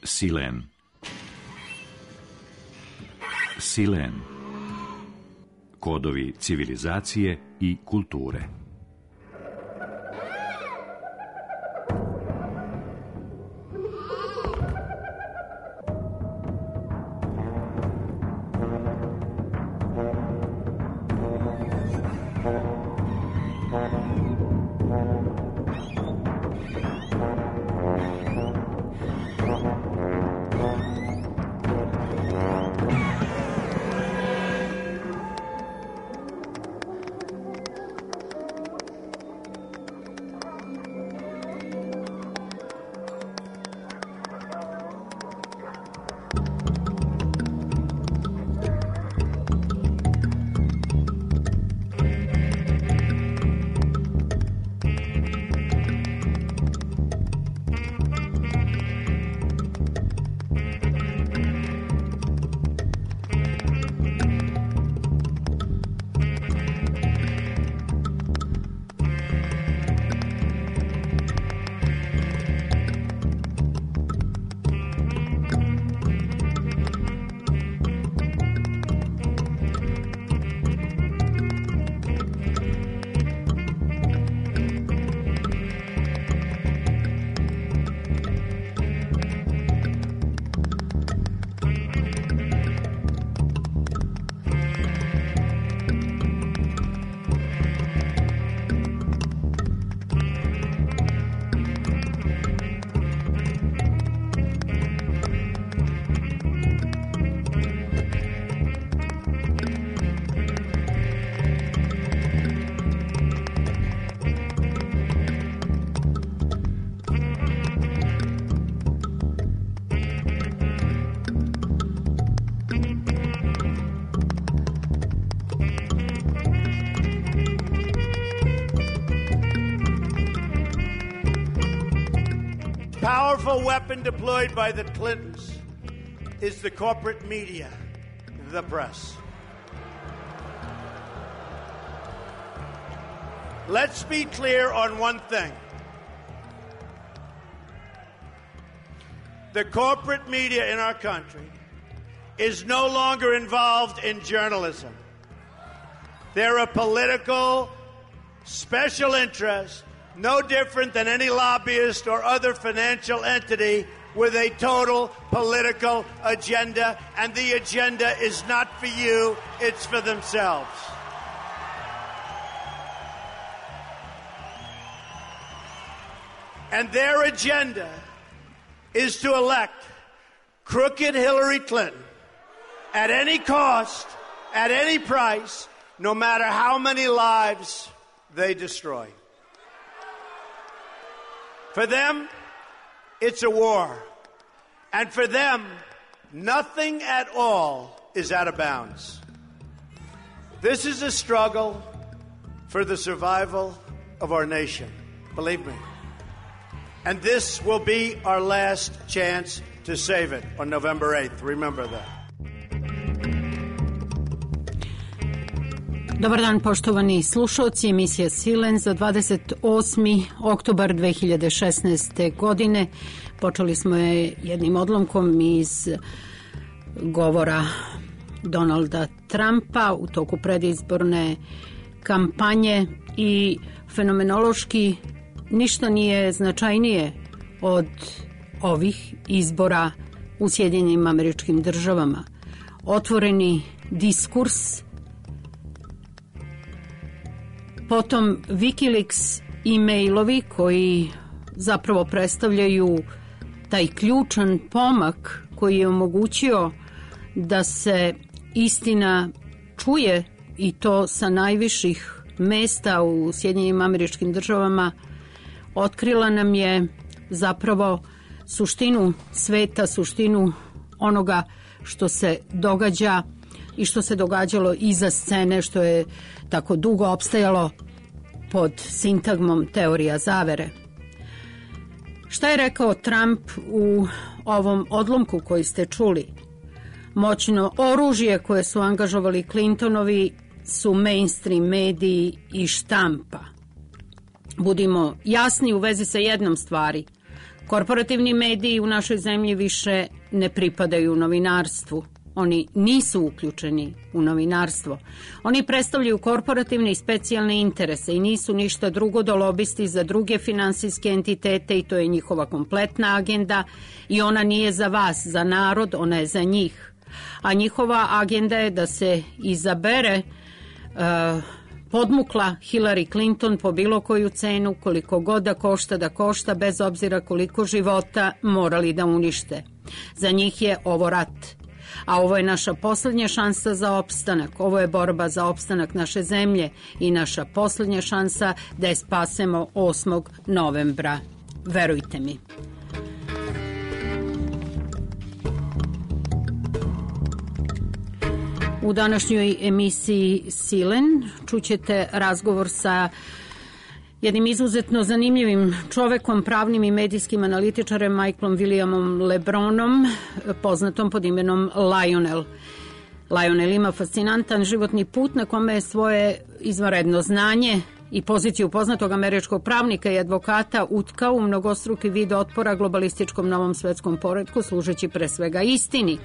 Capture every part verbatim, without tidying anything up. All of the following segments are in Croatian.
Silen. Silen. Kodovi civilizacije i kulture. Powerful weapon deployed by the Clintons is the corporate media, the press. Let's be clear on one thing. The corporate media in our country is no longer involved in journalism. They're a political special interest, no different than any lobbyist or other financial entity with a total political agenda, and the agenda is not for you, it's for themselves. And their agenda is to elect crooked Hillary Clinton at any cost, at any price, no matter how many lives they destroy. For them, it's a war. And for them, nothing at all is out of bounds. This is a struggle for the survival of our nation. Believe me. And this will be our last chance to save it on November eighth. Remember that. Dobar dan, poštovani slušalci, emisija Silen za dvadeset osmi oktobar dve hiljade šesnaeste. godine. Počeli smo je jednim odlomkom iz govora Donalda Trumpa u toku predizborne kampanje i fenomenološki ništa nije značajnije od ovih izbora u Sjedinjenim Američkim Državama. Otvoreni diskurs, potom Wikileaks e-mailovi koji zapravo predstavljaju taj ključan pomak koji je omogućio da se istina čuje i to sa najviših mesta u Sjedinjenim Američkim Državama, otkrila nam je zapravo suštinu sveta, suštinu onoga što se događa i što se događalo iza scene, što je tako dugo opstajalo pod sintagmom teorija zavere. Šta je rekao Trump u ovom odlomku koji ste čuli? Moćno oružje koje su angažovali Clintonovi su mainstream mediji i štampa. Budimo jasni u vezi sa jednom stvari. Korporativni mediji u našoj zemlji više ne pripadaju novinarstvu. Oni nisu uključeni u novinarstvo. Oni predstavljaju korporativne i specijalne interese i nisu ništa drugo do lobisti za druge finansijske entitete i to je njihova kompletna agenda i ona nije za vas, za narod, ona je za njih. A njihova agenda je da se izabere uh, podmukla Hillary Clinton po bilo koju cenu, koliko god da košta da košta, bez obzira koliko života morali da unište. Za njih je ovo rat. A ovo je naša poslednja šansa za opstanak. Ovo je borba za opstanak naše zemlje i naša poslednja šansa da je spasemo osmog novembra. Verujte mi. U današnjoj emisiji Silen čućete razgovor sa jednim izuzetno zanimljivim čovekom, pravnim i medijskim analitičarem Michaelom Williamom LeBronom, poznatom pod imenom Lionel. Lionel ima fascinantan životni put na kome je svoje izvanredno znanje i poziciju poznatog američkog pravnika i advokata utkao u mnogostruki vid otpora globalističkom novom svetskom poretku, služeći pre svega istini.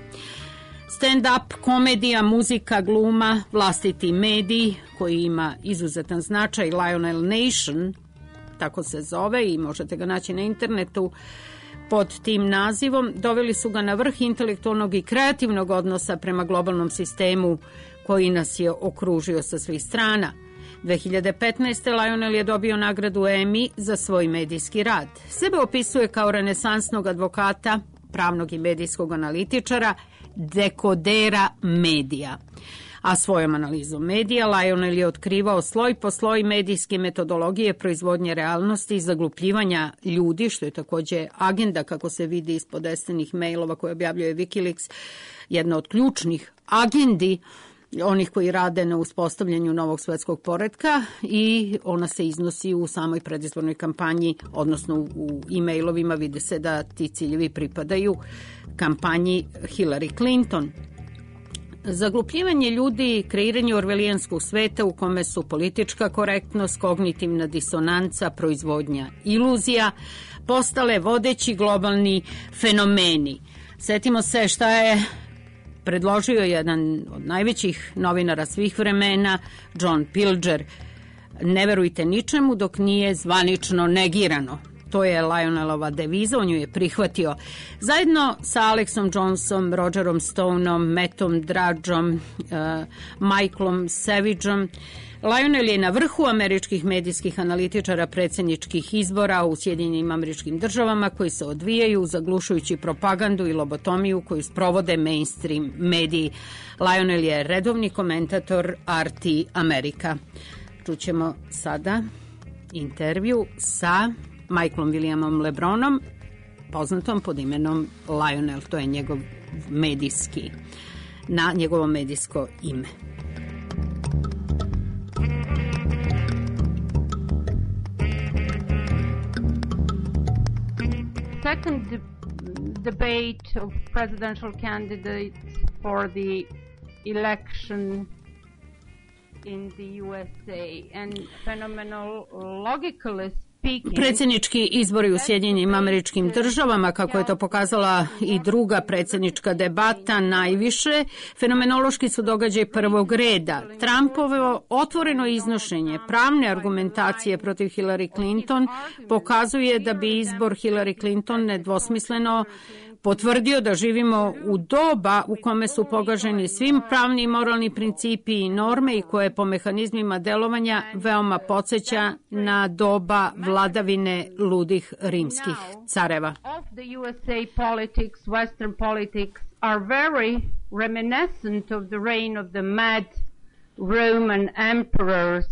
Stand-up, komedija, muzika, gluma, vlastiti medij koji ima izuzetan značaj, Lionel Nation, tako se zove i možete ga naći na internetu pod tim nazivom, doveli su ga na vrh intelektualnog i kreativnog odnosa prema globalnom sistemu koji nas je okružio sa svih strana. dve hiljade petnaeste. Lionel je dobio nagradu Emmy za svoj medijski rad. Sebe opisuje kao renesansnog advokata, pravnog i medijskog analitičara, dekodera medija. A svojom analizom medija Lionel je otkrivao sloj po sloj medijske metodologije proizvodnje realnosti i zaglupljivanja ljudi, što je takođe agenda, kako se vidi iz podestanih mailova koje objavljuje Wikileaks, jedna od ključnih agendi onih koji rade na uspostavljanju novog svetskog poretka i ona se iznosi u samoj predizbornoj kampanji, odnosno u e-mailovima vide se da ti ciljevi pripadaju kampanji Hillary Clinton. Zaglupljivanje ljudi, kreiranje orvelijanskog sveta u kome su politička korektnost, kognitivna disonanca, proizvodnja iluzija, postale vodeći globalni fenomeni. Setimo se šta je predložio jedan od najvećih novinara svih vremena, John Pilger. Ne verujte ničemu dok nije zvanično negirano. To je Lionelova deviza, on ju je prihvatio. Zajedno sa Alexom Jonesom, Rogerom Stoneom, Mattom Drudgeom, uh, Michaelom Savageom, Lionel je na vrhu američkih medijskih analitičara predsjedničkih izbora u Sjedinjenim Američkim Državama koji se odvijaju zaglušujući propagandu i lobotomiju koju sprovode mainstream mediji. Lionel je redovni komentator R T Amerika. Čućemo sada intervju sa Michaelom Williamom LeBronom, poznatom pod imenom Lionel. To je njegov medijski, na njegovo medijsko ime. Second de- debate of presidential candidates for the election in the U S A and phenomenologically speaking. Predsjednički izbori u Sjedinjenim Američkim Državama, kako je to pokazala i druga predsjednička debata, najviše fenomenološki su događaj prvog reda. Trumpovo otvoreno iznošenje pravne argumentacije protiv Hillary Clinton pokazuje da bi izbor Hillary Clinton nedvosmisleno potvrdio da živimo u doba u kome su pogaženi svim pravni i moralni principi i norme i koje po mehanizmima delovanja veoma podsjeća na doba vladavine ludih rimskih careva. Of the U S A politics, Western politics are very reminiscent of the reign of the mad Roman emperors.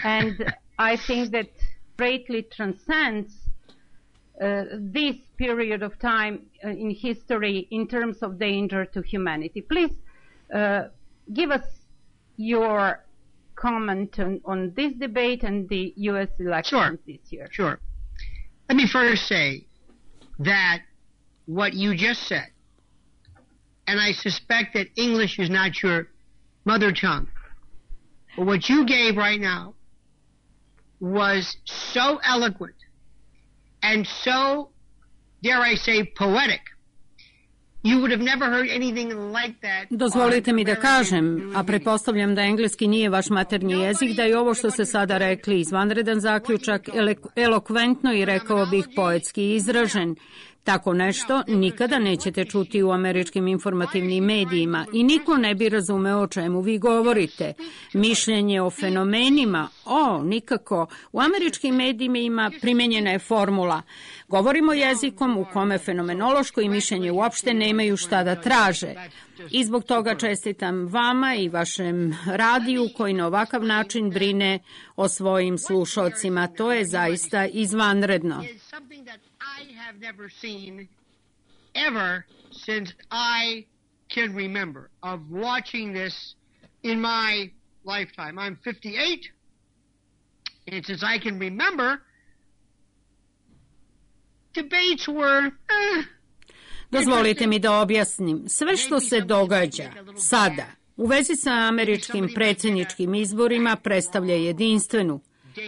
And I think that greatly transcends Uh, this period of time uh, in history in terms of danger to humanity. Please uh, give us your comment on, on this debate and the U S elections sure. this year. Sure. Let me first say that what you just said, and I suspect that English is not your mother tongue, but what you gave right now was so eloquent and so, dare I say, poetic. You would have never heard anything like that. Dozvolite mi da kažem, a pretpostavljam da engleski nije vaš maternji jezik, da je ovo što ste sada rekli izvanredan zaključak, elokventno i rekao bih poetski izražen. Tako nešto nikada nećete čuti u američkim informativnim medijima i niko ne bi razumeo o čemu vi govorite. Mišljenje o fenomenima, o, nikako. U američkim medijima primenjena je formula. Govorimo jezikom u kome fenomenološko i mišljenje uopšte nemaju šta da traže. I zbog toga čestitam vama i vašem radiju koji na ovakav način brine o svojim slušocima. To je zaista izvanredno. I have never seen ever since I can remember of watching this in my lifetime. I'm fifty-eight, and since I can remember, debates were... Eh, Dozvolite mi da objasnim. Sve što se događa sada u vezi sa američkim predsjedničkim izborima predstavlja jedinstvenu,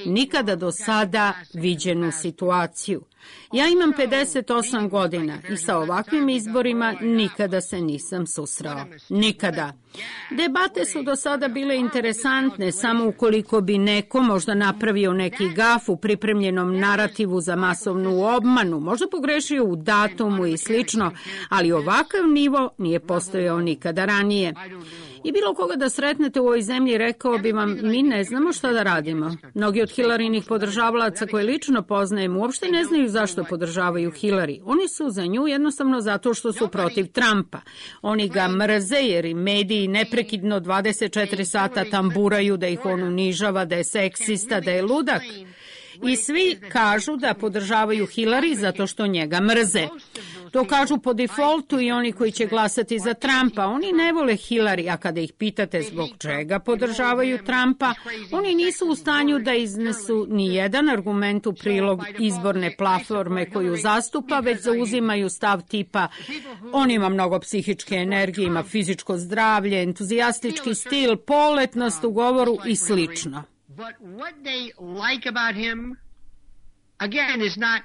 nikada do sada viđenu situaciju. Ja imam pedeset osam godina i sa ovakvim izborima nikada se nisam susreo. Nikada. Debate su do sada bile interesantne samo ukoliko bi neko možda napravio neki gaf u pripremljenom narativu za masovnu obmanu, možda pogrešio u datumu i slično, ali ovakav nivo nije postojao nikada ranije. I bilo koga da sretnete u ovoj zemlji rekao bi vam, mi ne znamo šta da radimo. Mnogi od Hillarynih podržavalaca koje lično poznajem uopšte ne znaju zašto podržavaju Hillary. Oni su za nju jednostavno zato što su protiv Trumpa. Oni ga mrze jer i mediji neprekidno dvadeset četiri sata tamburaju da ih on unižava, da je seksista, da je ludak. I svi kažu da podržavaju Hillary zato što njega mrze. To kažu po defaultu i oni koji će glasati za Trumpa. Oni ne vole Hillary, a kada ih pitate zbog čega podržavaju Trumpa, oni nisu u stanju da iznesu ni jedan argument u prilog izborne platforme koju zastupa, već zauzimaju stav tipa on ima mnogo psihičke energije, ima fizičko zdravlje, entuzijastički stil, poletnost u govoru i slično. But what they like about him, again, is not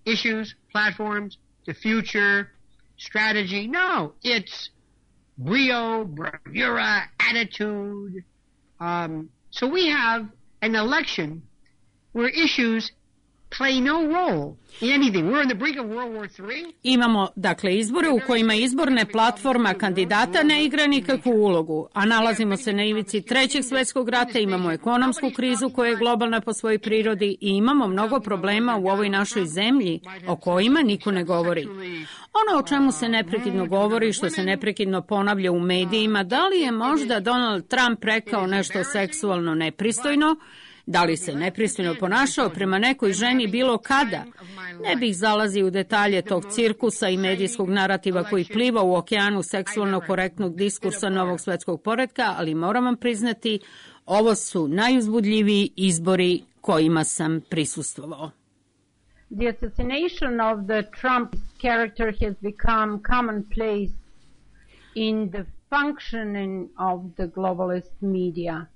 issues, platforms, the future, strategy. No, it's brio, bravura, attitude. Um, so we have an election where issues play no role in anything. We're on the brink of World War Three. Imamo, dakle, izbore u kojima izborne platforma kandidata ne igra nikakvu ulogu, a nalazimo se na ivici trećeg svjetskog rata, imamo ekonomsku krizu koja je globalna po svojoj prirodi i imamo mnogo problema u ovoj našoj zemlji o kojima niko ne govori. Ono o čemu se neprekidno govori, što se neprekidno ponavlja u medijima, da li je možda Donald Trump rekao nešto seksualno nepristojno, da li se nepristojno ponašao prema nekoj ženi bilo kada? Ne bih zalazio u detalje tog cirkusa i medijskog narativa koji pliva u okeanu seksualno korektnog diskursa novog svetskog poretka, ali moram vam priznati, ovo su najuzbudljiviji izbori kojima sam prisustvovao. The assassination of the Trump character has become commonplace in the functioning of the globalist media.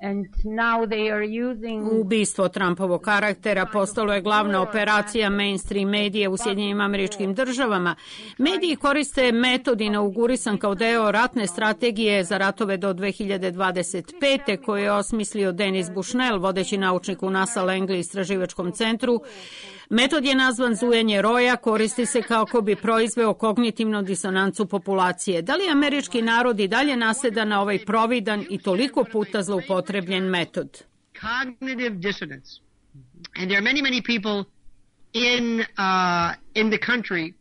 And now they are using... Ubistvo Trumpovog karaktera postalo je glavna operacija mainstream medija u Sjedinjenim Američkim Državama. Mediji koriste metod inaugurisan kao deo ratne strategije za ratove do dve hiljade dvadeset pete koje je osmislio Denis Bushnell, vodeći naučnik u NASA Langley istraživačkom centru. Metod je nazvan zujanje roja, koristi se kako bi proizveo kognitivnu disonancu populacije. Da li američki narod i dalje naseda na ovaj providan i toliko puta zloupotrebljen metod? Cognitive dissonance. And there are many, many people in, uh, in the country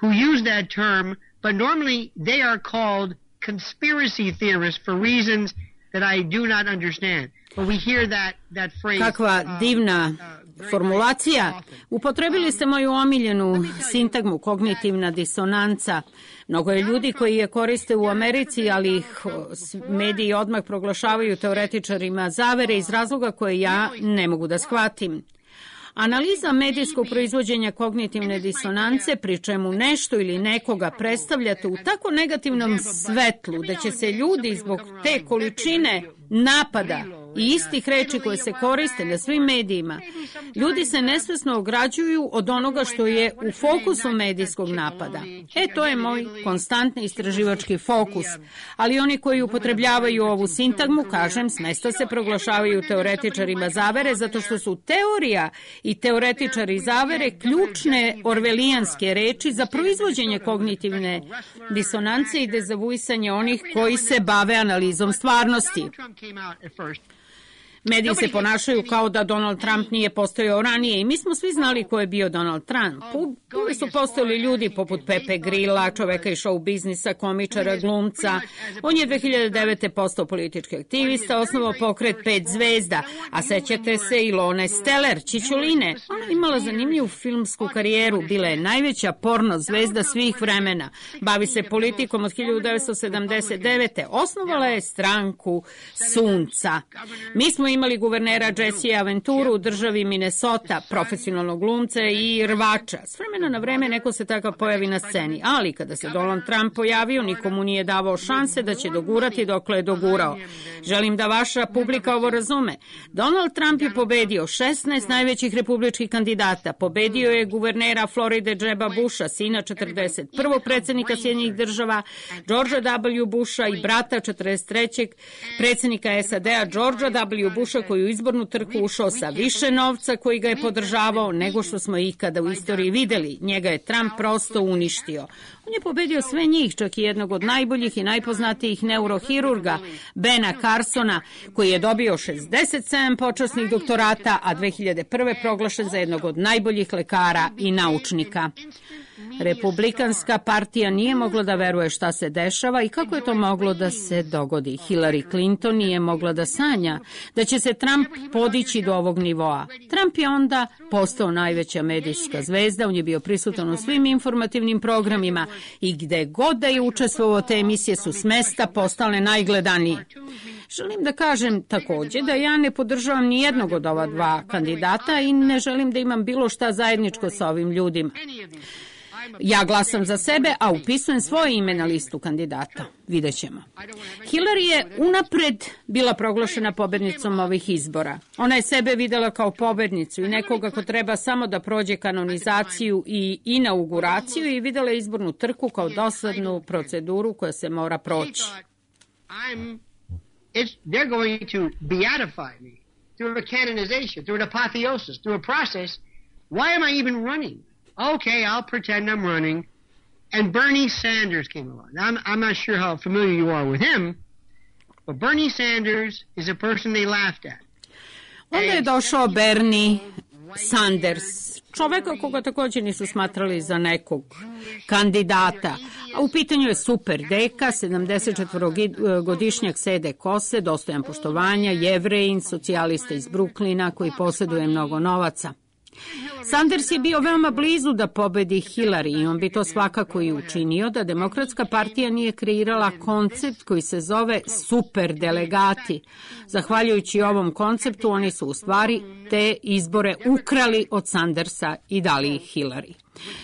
who use that term, but normally they are called conspiracy theorists for reasons that I do not understand. But we hear that, that phrase... Kakva divna formulacija. Upotrebili ste moju omiljenu sintagmu kognitivna disonanca. Mnogo je ljudi koji je koriste u Americi, ali ih mediji odmah proglašavaju teoretičarima zavere iz razloga koje ja ne mogu da shvatim. Analiza medijskog proizvođenja kognitivne disonance, pri čemu nešto ili nekoga predstavljate u tako negativnom svetlu da će se ljudi zbog te količine napada i istih reči koje se koriste na svim medijima, ljudi se nesvesno ograđuju od onoga što je u fokusu medijskog napada. E, to je moj konstantni istraživački fokus. Ali oni koji upotrebljavaju ovu sintagmu, kažem, smesta se proglašavaju teoretičarima zavere, zato što su teorija i teoretičari zavere ključne orvelijanske reči za proizvođenje kognitivne disonance i dezavuisanje onih koji se bave analizom stvarnosti. Mediji se ponašaju kao da Donald Trump nije postojao ranije i mi smo svi znali ko je bio Donald Trump. Uvijek su postojali ljudi poput Pepe Grilla, čoveka iz show biznisa, komičara, glumca. On je dve hiljade devete. postao politički aktivista, osnovao pokret Pet zvezda, a sećate se Ilone Steller, Čičuline. Ona je imala zanimljivu filmsku karijeru, bila je najveća porno zvezda svih vremena. Bavi se politikom od hiljadu devetsto sedamdeset devete. Osnovala je stranku Sunca. Mi smo imali guvernera Jesse Aventuru u državi Minnesota, profesionalnog glumca i rvača. S vremena na vreme neko se takav pojavi na sceni, ali kada se Donald Trump pojavio, nikomu nije davao šanse da će dogurati dokle je dogurao. Želim da vaša publika ovo razume. Donald Trump je pobedio šesnaest najvećih republičkih kandidata. Pobedio je guvernera Floride Jeba Busha, sina četrdeset prvog predsjednika Sjedinjenih država, Georgea W. Busha i brata četrdeset trećeg predsjednika S A D-a Georgea W. Busha, koji u izbornu trku ušao sa više novca koji ga je podržavao nego što smo ikada u istoriji videli. Njega je Trump prosto uništio. On je pobedio sve njih, čak i jednog od najboljih i najpoznatijih neurohirurga, Bena Carsona, koji je dobio šezdeset sedam počasnih doktorata, a dve hiljade prve. proglašen za jednog od najboljih lekara i naučnika. Republikanska partija nije mogla da veruje šta se dešava i kako je to moglo da se dogodi. Hillary Clinton nije mogla da sanja da će se Trump podići do ovog nivoa. Trump je onda postao najveća medijska zvezda, on je bio prisutan u svim informativnim programima i gde god da je učestvovao, te emisije su s mesta postale najgledanije. Želim da kažem također da ja ne podržavam ni jednog od ova dva kandidata i ne želim da imam bilo šta zajedničko sa ovim ljudima. Ja glasam za sebe, a upisujem svoje ime na listu kandidata. Vidjet ćemo. Hillary je unapred bila proglašena pobednicom ovih izbora. Ona je sebe videla kao pobednicu i nekoga ko treba samo da prođe kanonizaciju i inauguraciju i videla izbornu trku kao dosadnu proceduru koja se mora proći. It's, they're going to beatify me through a canonization, through an apotheosis, through a process. Why am I even running? Okay, I'll pretend I'm running. And Bernie Sanders came along. Now, I'm, I'm not sure how familiar you are with him, but Bernie Sanders is a person they laughed at. Onda je došao Bernie Sanders, čoveka koga također nisu smatrali za nekog kandidata. A u pitanju je super deka, sedamdesetčetvorogodišnjak sede kose, dostojan poštovanja, Jevrejin, socijalista iz Bruklina koji posjeduje mnogo novaca. Sanders je bio veoma blizu da pobedi Hillary i on bi to svakako i učinio da Demokratska partija nije kreirala koncept koji se zove super delegati. Zahvaljujući ovom konceptu oni su u stvari te izbore ukrali od Sandersa i dali ih Hillary.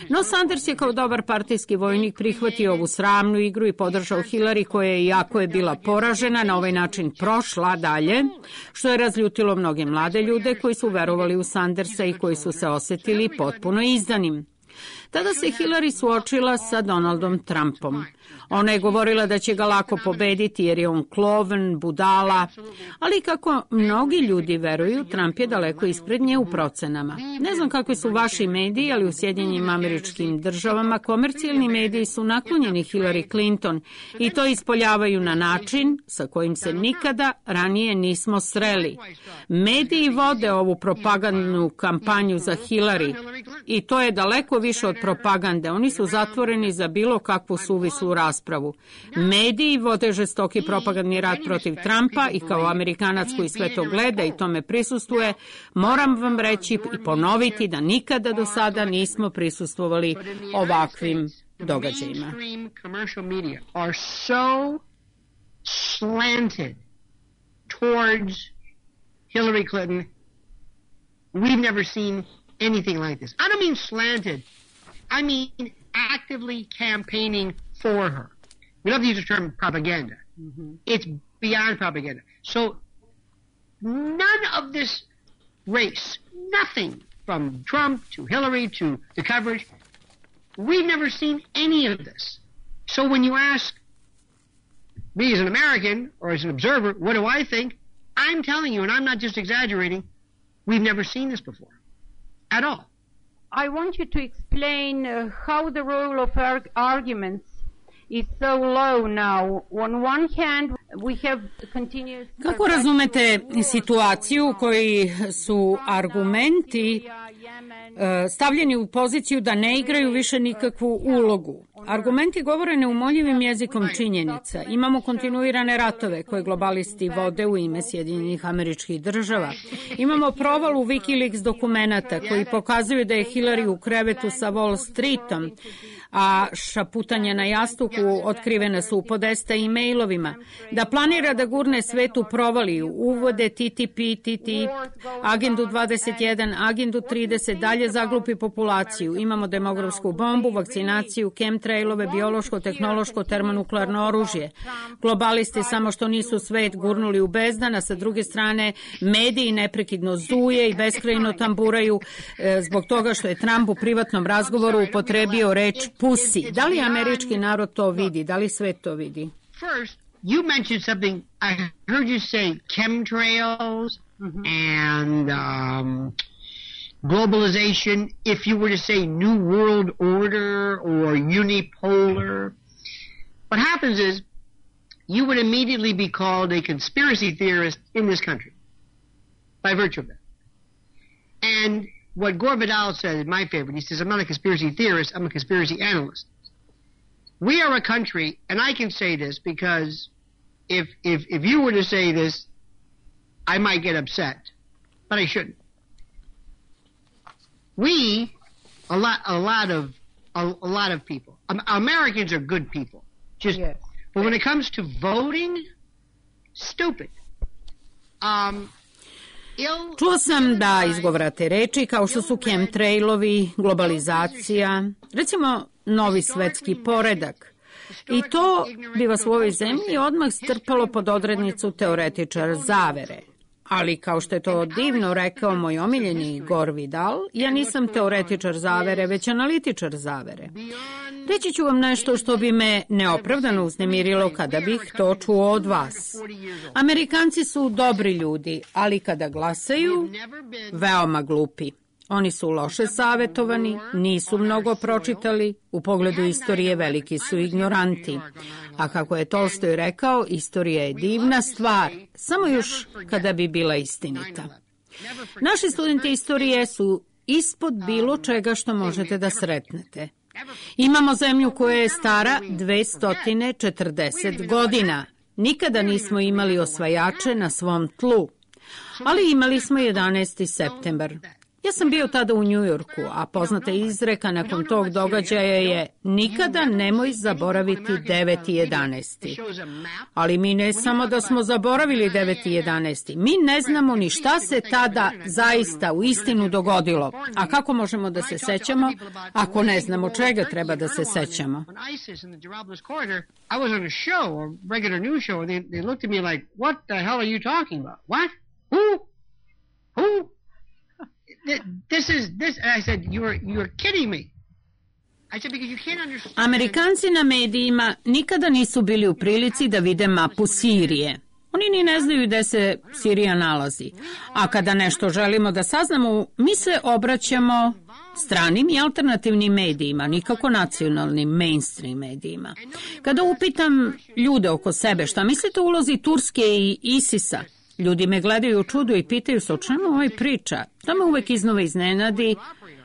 No Sanders je kao dobar partijski vojnik prihvatio ovu sramnu igru i podržao Hillary koja je, iako je bila poražena, na ovaj način prošla dalje, što je razljutilo mnoge mlade ljude koji su verovali u Sandersa i koji su se osjetili potpuno izdanim. Tada se Hillary suočila sa Donaldom Trumpom. Ona je govorila da će ga lako pobediti jer je on kloven, budala, ali kako mnogi ljudi veruju, Trump je daleko ispred nje u procenama. Ne znam kakvi su vaši mediji, ali u Sjedinjenim Američkim Državama komercijalni mediji su naklonjeni Hillary Clinton i to ispoljavaju na način sa kojim se nikada ranije nismo sreli. Mediji vode ovu propagandnu kampanju za Hillary i to je daleko više od propagande. Oni su zatvoreni za bilo kakvu suvislu raspravu. Mediji vode žestoki propagandni rat protiv Trumpa i kao Amerikanac koji sve to gleda i tome prisustvuje, moram vam reći i ponoviti da nikada do sada nismo prisustvovali ovakvim događajima. Hillary Clinton, we've never seen anything like this. I don't mean slanted. I mean actively campaigning for her. We love to use the term propaganda. Mm-hmm. It's beyond propaganda. So none of this race, nothing from Trump to Hillary to the coverage. We've never seen any of this. So when you ask me as an American or as an observer, what do I think? I'm telling you, and I'm not just exaggerating, we've never seen this before at all. I want you to explain uh, how the role of arg- arguments is so low now. On one hand, we have continuous... Kako razumete situaciju u kojoj su argumenti uh, stavljeni u poziciju da ne igraju više nikakvu ulogu? Argumenti govore neumoljivim jezikom činjenica. Imamo kontinuirane ratove koje globalisti vode u ime Sjedinjenih Američkih Država. Imamo provalu Wikileaks dokumenata koji pokazuju da je Hillary u krevetu sa Wall Streetom, a šaputanje na jastuku otkrivene su u podesta e-mailovima, da planira da gurne svet u provaliju, uvode T T P, T T, agendu dvadeset jedan, agendu trideset, dalje zaglupi populaciju. Imamo demografsku bombu, vakcinaciju, chemtrailove, biološko, tehnološko, termonuklearno oružje. Globalisti samo što nisu svet gurnuli u bezdan, a sa druge strane mediji neprekidno zuje i beskrajno tamburaju e, zbog toga što je Trump u privatnom razgovoru upotrebio reč pussy. Da li američki narod to vidi? Da li svet to vidi? First, you mentioned something, I heard you say chemtrails mm-hmm. and um, globalization. If you were to say New World Order or unipolar, what happens is you would immediately be called a conspiracy theorist in this country by virtue of that. And what Gore Vidal said is my favorite. He says, I'm not a conspiracy theorist, I'm a conspiracy analyst. We are a country, and I can say this because if if if you were to say this, I might get upset, but I shouldn't. We, a lot, a lot of, a, a lot of people. Um, Americans are good people, just. Yes. But when it comes to voting, stupid. Um. Čuo sam da izgovarate reči kao što su chemtrailovi, globalizacija, recimo novi svetski poredak. I to bi vas u ovoj zemlji odmah strpalo pod odrednicu teoretičar zavere. Ali, kao što je to divno rekao moj omiljeni Gore Vidal, ja nisam teoretičar zavere, već analitičar zavere. Reći ću vam nešto što bi me neopravdano uznemirilo kada bih to čuo od vas. Amerikanci su dobri ljudi, ali kada glasaju, veoma glupi. Oni su loše savetovani, nisu mnogo pročitali, u pogledu istorije veliki su ignoranti. A kako je Tolstoj rekao, istorija je divna stvar, samo još kada bi bila istinita. Naši studenti istorije su ispod bilo čega što možete da sretnete. Imamo zemlju koja je stara dvesta četrdeset godina. Nikada nismo imali osvajače na svom tlu, ali imali smo jedanaesti septembar. Ja sam bio tada u Njujorku, a poznata izreka nakon tog događaja je nikada nemoj zaboraviti deveti jedanaesti. Ali mi ne samo da smo zaboravili deveti jedanaesti, mi ne znamo ni šta se tada zaista u istinu dogodilo. A kako možemo da se sećamo ako ne znamo čega treba da se sećamo? This is this. And I said, "You're you're kidding me." I said because you can't understand. Amerikanci na medijima nikada nisu bili u prilici da vide mapu Sirije. Oni ni ne znaju gde se Sirija nalazi. A kada nešto želimo da saznamo, mi se obraćamo stranim i alternativnim medijima, nikako nacionalnim mainstream medijima. Kada upitam ljude oko sebe šta mislite o ulozi Turske i ISIS-a, ljudi me gledaju u čudu i pitaju se o čemu ovaj priča. To me uvek iznova iznenadi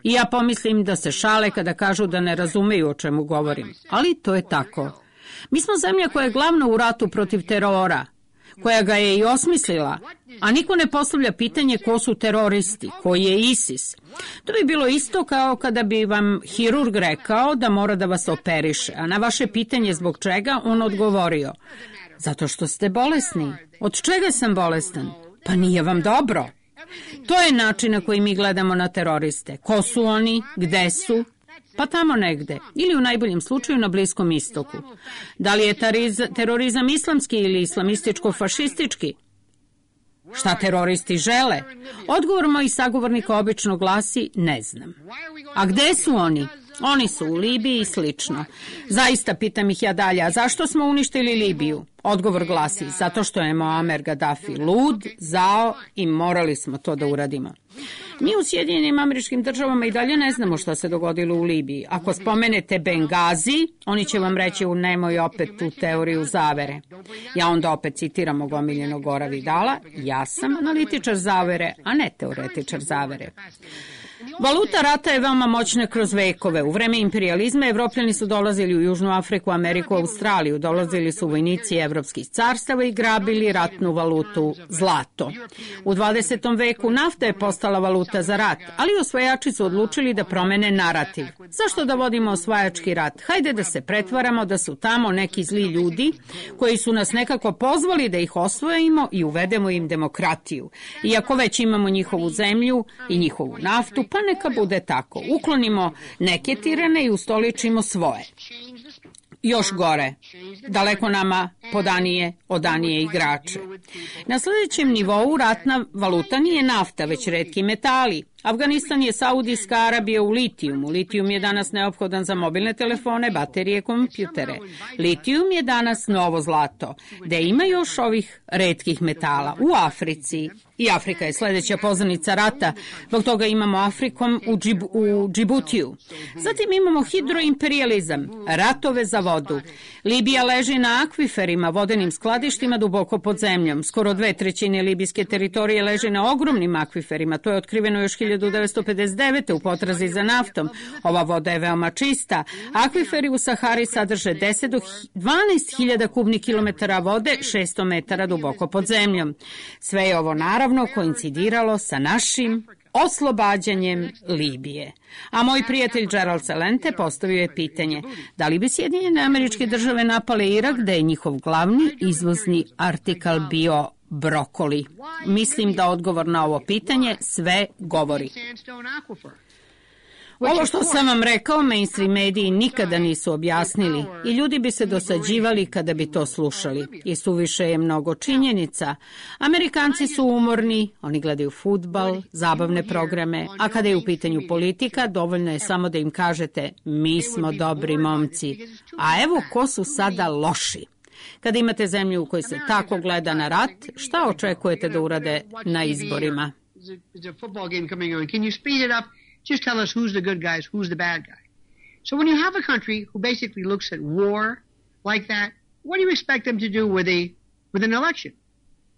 i ja pomislim da se šale kada kažu da ne razumeju o čemu govorim. Ali to je tako. Mi smo zemlja koja je glavna u ratu protiv terora, koja ga je i osmislila, a niko ne postavlja pitanje ko su teroristi, koji je ISIS. To bi bilo isto kao kada bi vam hirurg rekao da mora da vas operiše, a na vaše pitanje zbog čega on odgovorio: zato što ste bolesni. Od čega sam bolestan? Pa nije vam dobro. To je način na koji mi gledamo na teroriste. Ko su oni? Gde su? Pa tamo negde. Ili u najboljem slučaju na Bliskom istoku. Da li je terorizam islamski ili islamističko-fašistički? Šta teroristi žele? Odgovor mojih sagovornika obično glasi ne znam. A gde su oni? Oni su u Libiji i slično. Zaista pitam ih ja dalje, a zašto smo uništili Libiju? Odgovor glasi, zato što je Muammar Gaddafi lud, zao i morali smo to da uradimo. Mi u Sjedinjenim Američkim Državama i dalje ne znamo šta se dogodilo u Libiji. Ako spomenete Bengazi, oni će vam reći u nemoj opet tu teoriju zavere. Ja onda opet citiram mog omiljenog Gora Vidala, ja sam analitičar zavere, a ne teoretičar zavere. Valuta rata je veoma moćna kroz vekove. U vreme imperijalizma Evropljani su dolazili u Južnu Afriku, Ameriku, Australiju. Dolazili su vojnici evropskih carstava i grabili ratnu valutu zlato. U dvadesetom veku nafta je postala valuta za rat, ali osvajači su odlučili da promene narativ. Zašto da vodimo osvajački rat? Hajde da se pretvaramo da su tamo neki zli ljudi koji su nas nekako pozvali da ih osvojimo i uvedemo im demokratiju. Iako već imamo njihovu zemlju i njihovu naftu, pa neka bude tako. Uklonimo neke tirane i ustoličimo svoje. Još gore, daleko nama podanije, odanije igrače. Na sljedećem nivou ratna valuta nije nafta, već retki metali. Afganistan je Saudijska Arabija u litijumu. Litijum je danas neophodan za mobilne telefone, baterije, kompjutere. Litijum je danas novo zlato. Da ima još ovih retkih metala u Africi. I Afrika je sljedeća poznanica rata, zbog toga imamo Afrikom u, Džib, u Džibutiju. Zatim imamo hidroimperijalizam, ratove za vodu. Libija leži na akviferima, vodenim skladištima duboko pod zemljom. Skoro dve trećine libijske teritorije leži na ogromnim akviferima. To je otkriveno još hiljadu devetsto pedeset devete u potrazi za naftom. Ova voda je veoma čista. Akviferi u Sahari sadrže deset do dvanaest hiljada kubnih kilometara vode, šesto metara duboko pod zemljom. Sve je ovo naravno koincidiralo sa našim oslobađanjem Libije. A moj prijatelj Gerald Celente postavio je pitanje da li bi Sjedinjene Američke Države napale Irak da je njihov glavni izvozni artikal bio brokoli. Mislim da odgovor na ovo pitanje sve govori. Ovo što sam vam rekao, mainstream mediji nikada nisu objasnili i ljudi bi se dosađivali kada bi to slušali. I suviše je mnogo činjenica. Amerikanci su umorni, oni gledaju fudbal, zabavne programe, a kada je u pitanju politika, dovoljno je samo da im kažete mi smo dobri momci. A evo ko su sada loši. Kada imate zemlju u kojoj se tako gleda na rat, šta očekujete da urade na izborima? Just tell us who's the good guys, who's the bad guy. So when you have a country who basically looks at war like that, what do you expect them to do with a with an election?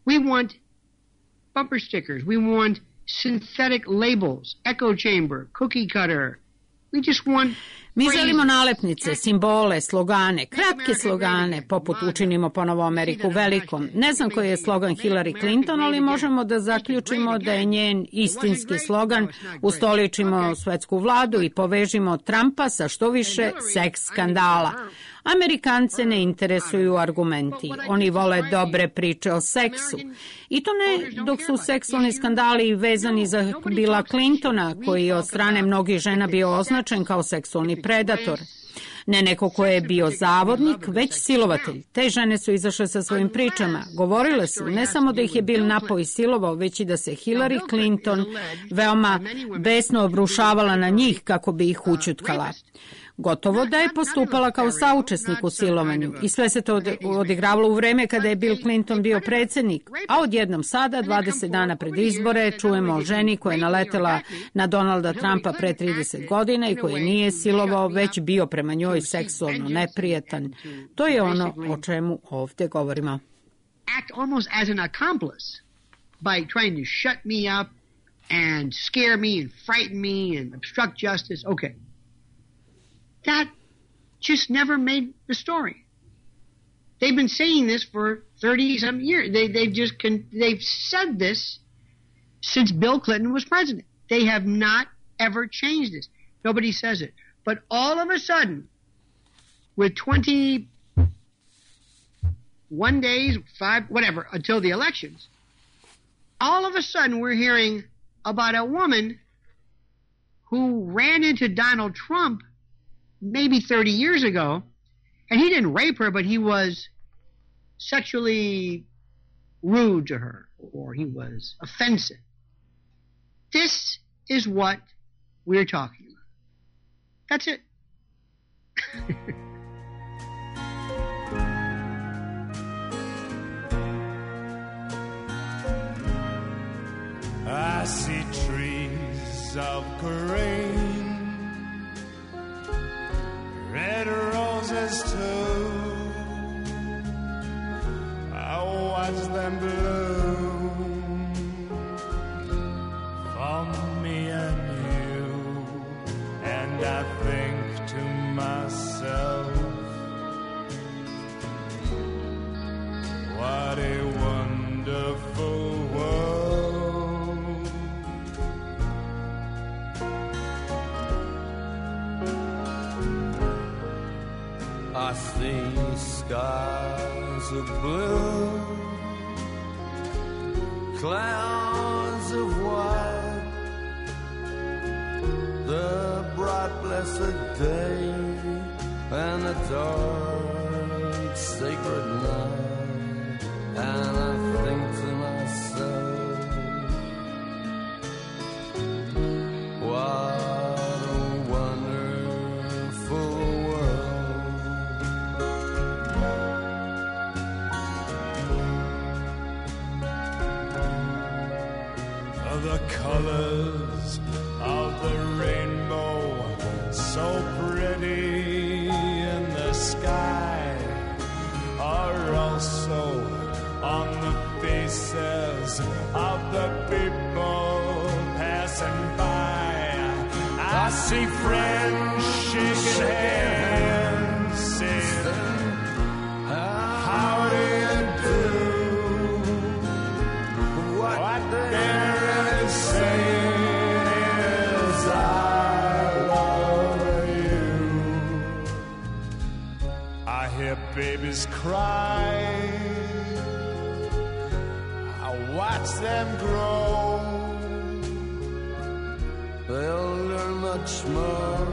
We want bumper stickers. We want synthetic labels, echo chamber, cookie cutter. We just want Mi želimo nalepnice, simbole, slogane, kratke slogane, poput učinimo ponovo Ameriku velikom. Ne znam koji je slogan Hillary Clinton, ali možemo da zaključimo da je njen istinski slogan ustoličimo svetsku vladu i povežimo Trumpa sa što više seks skandala. Amerikance ne interesuju argumenti. Oni vole dobre priče o seksu. I to ne dok su seksualni skandali vezani za Billa Clintona, koji je od strane mnogih žena bio označen kao seksualni predator. Ne neko ko je bio zavodnik, već silovatelj. Te žene su izašle sa svojim pričama. Govorile su ne samo da ih je Bill napao i silovao, već i da se Hillary Clinton veoma besno obrušavala na njih kako bi ih ućutkala. Gotovo da je postupala kao saučesnik u silovanju i sve se to odigravalo u vreme kada je Bill Clinton bio predsjednik, a odjednom sada, dvadeset dana pred izbore, čujemo o ženi koja je naletela na Donalda Trumpa pre trideset godina i koji nije silovao, već bio prema njoj seksualno neprijetan. To je ono o čemu ovdje govorimo. Act almost as an accomplice by trying to shut me up and scare me and frighten me and obstruct justice. Okay. That just never made the story. They've been saying this for thirty some years. They they've just con- they've said this since Bill Clinton was president. They have not ever changed this. Nobody says it. But all of a sudden, with twenty-one days, five, whatever, until the elections, all of a sudden we're hearing about a woman who ran into Donald Trump maybe thirty years ago, and he didn't rape her, but he was sexually rude to her, or he was offensive. This is what we're talking about. That's it. I see trees of green, red roses too. I watch them bloom for me and you, and I think to myself, what a wonderful world. I see skies of blue, clouds of white, the bright blessed day and the dark sacred night, and I think to myself, what a wonderful world. The colors of the rainbow, so pretty in the sky, are also on the faces of the people passing by. I see friends shaking hands, saying, how do you do? What, what they're saying is, I love you. I hear babies cry, I watch them grow. They'll learn much more